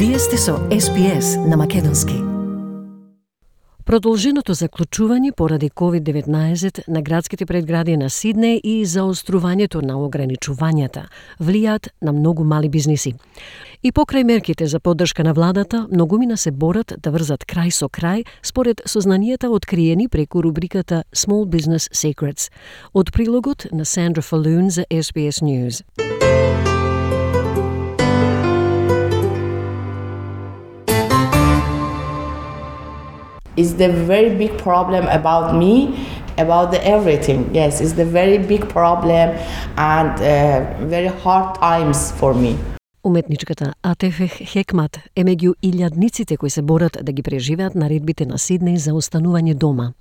Вие сте со SPS на македонски. Продолженото заклучување поради COVID-19 на градските предгради на Сиднеј и заострувањето на ограничувањата влијаат на многу мали бизниси. И покрај мерките за поддршка на владата, многумина се борат да врзат крај со крај според сознанијата откриени преку рубриката Small Business Secrets. Од прилогот на Сандра Фалун за SBS News. It's the very big problem about me, about the everything. Yes, it's the very big problem and very hard times for me. Уметничката Атефех Хекмат е меѓу илјадниците кои се борат да ги преживеат наредбите на Сиднеј за останување дома.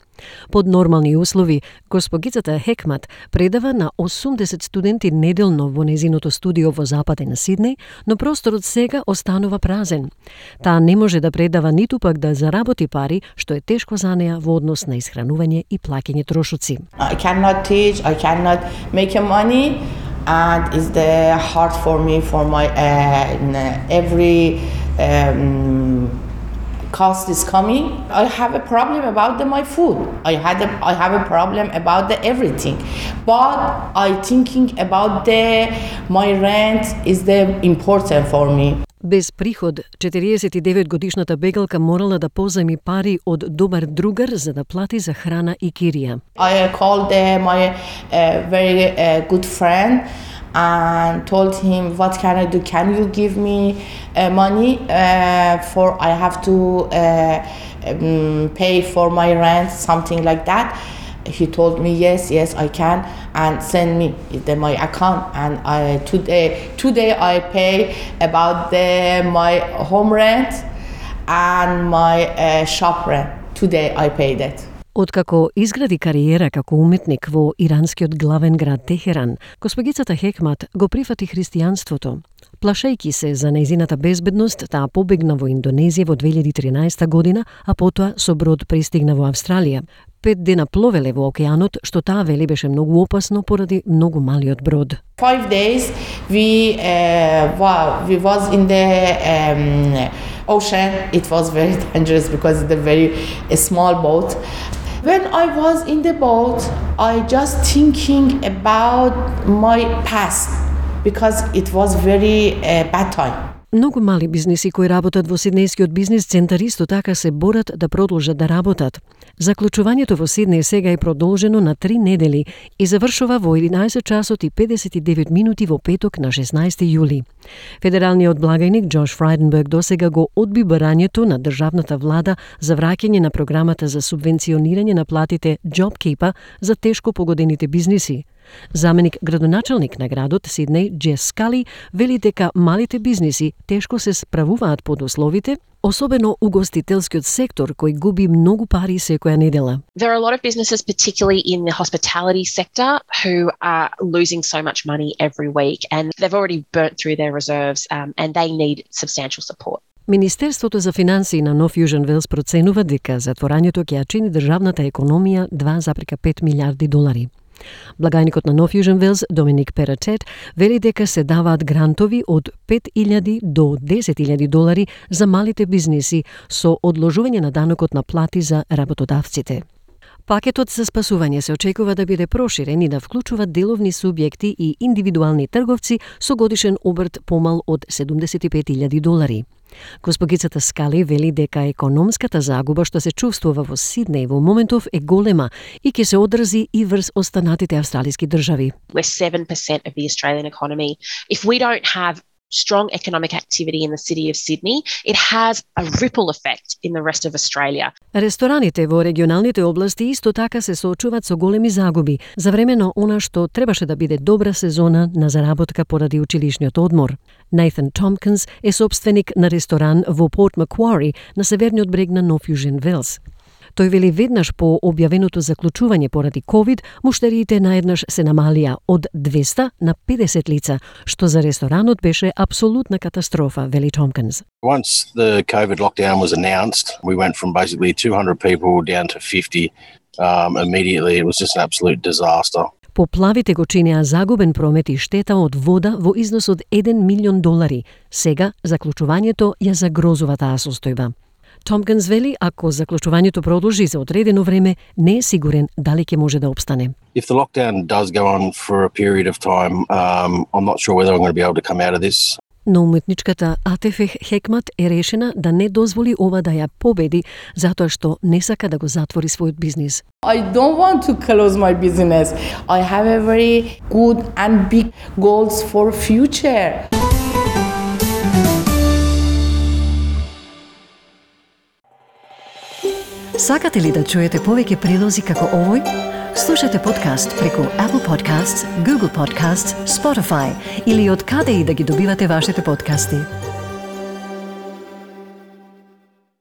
Под нормални услови, госпогицата Хекмат предава на 80 студенти неделно во незиното студио во западен Сиднеј, но просторот сега останува празен. Таа не може да предава ниту пак да заработи пари, што е тешко за неа во однос на исхранување и плаќање трошоци. I cannot teach, I cannot make money. And it's hard for me for my every cost is coming. I have a problem about my food. I have a problem about everything. But I thinking about my rent is important for me. Без приход, 49-годишната бегалка морала да позајми пари од добар другар за да плати за храна и кирија. I called my very good friend and told him, what can I do? Can you give me money for I have to pay for my rent, something like that. He told me yes I can, and send me my account, and today I pay about my home rent and my shop rent. Today I paid it. Откако изгради кариера како уметник во иранскиот главен град Техеран, госпогицата Хекмат го прифати христијанството. Плашејќи се за нејзината безбедност, таа побегна во Индонезија во 2013 година, а потоа со брод пристигна во Австралија. 5 дена пловеле во океанот, што таа вели беше многу опасно поради многу малиот брод. 5 days we was in the ocean. It was very dangerous because it's a very small boat. When I was in the boat, I just thinking about my past because it was very bad time. Многу мали бизниси кои работат во Сиднејскиот бизнис центар исто така се борат да продолжат да работат. Заклучувањето во Сиднеј сега е продолжено на 3 недели и завршува во 11 часот и 59 минути во петок на 16 јули. Федералниот благајник Джош Фрайденберг досега го одби барањето на државната влада за враќање на програмата за субвенционирање на платите JobKeeper за тешко погодените бизниси. Заменик градоначалник на градот Сиднеј Джес Скали вели дека малите бизниси тешко се справуваат под условите, особено угостителскиот сектор кој губи многу пари секоја недела. There are a lot of businesses, particularly in the hospitality sector, who are losing so much money every week, and they've already burnt through their reserves, and they need substantial support. Министерството за финансии на Нов Јужен Велс проценува дека затворањето ќе ја чини државната економија 2,5 милиарди долари. Благајникот на Нов Јужен Велс, Доминик Перачет, вели дека се даваат грантови од 5.000 до 10.000 долари за малите бизниси со одложување на данокот на плати за работодавците. Пакетот за спасување се очекува да биде проширен и да вклучува деловни субјекти и индивидуални трговци со годишен обрт помал од 75.000 долари. Госпогицата Скали вели дека економската загуба што се чувствува во Сиднеј во моментов е голема и ќе се одрази и врз останатите австралиски држави. We're 7% of the Australian economy. If we don't have strong economic activity in the city of Sydney, it has a ripple effect in the rest of Australia. Рестораните во регионалните области исто така се соочуваат со големи загуби за време на она што требаше да биде добра сезона на заработка поради училишниот одмор. Нейтан Томпкинс е собственик на ресторан во Порт Маквари на северниот брег на Нов Јужен Велс. Тој вели веднаш по објавеното заклучување поради COVID, муштериите наеднаш се намалија од 200 на 50 лица, што за ресторанот беше апсолутна катастрофа, вели Томпкинс. Once the COVID lockdown was announced, we went from basically 200 people down to 50 immediately. It was just an absolute disaster. Поплавите го чинеа загубен промет и штета од вода во износ од $1 милион. Сега заклучувањето ја загрозува таа состојба. Томпкинс вели, ако заклучувањето продолжи за одредено време, не е сигурен дали ќе може да опстане. If the lockdown does go on for a period of time, I'm not sure whether I'm going to be able to come out of this. Но уметничката Атефех Хекмат е решена да не дозволи ова да ја победи, затоа што не сака да го затвори својот бизнис. I don't want to close my business. I have a very good and big goals for future. Сакате ли да чуете повеќе прилози како овој? Слушате подкаст преку Apple Podcasts, Google Podcasts, Spotify или од каде и да ги добивате вашите подкасти.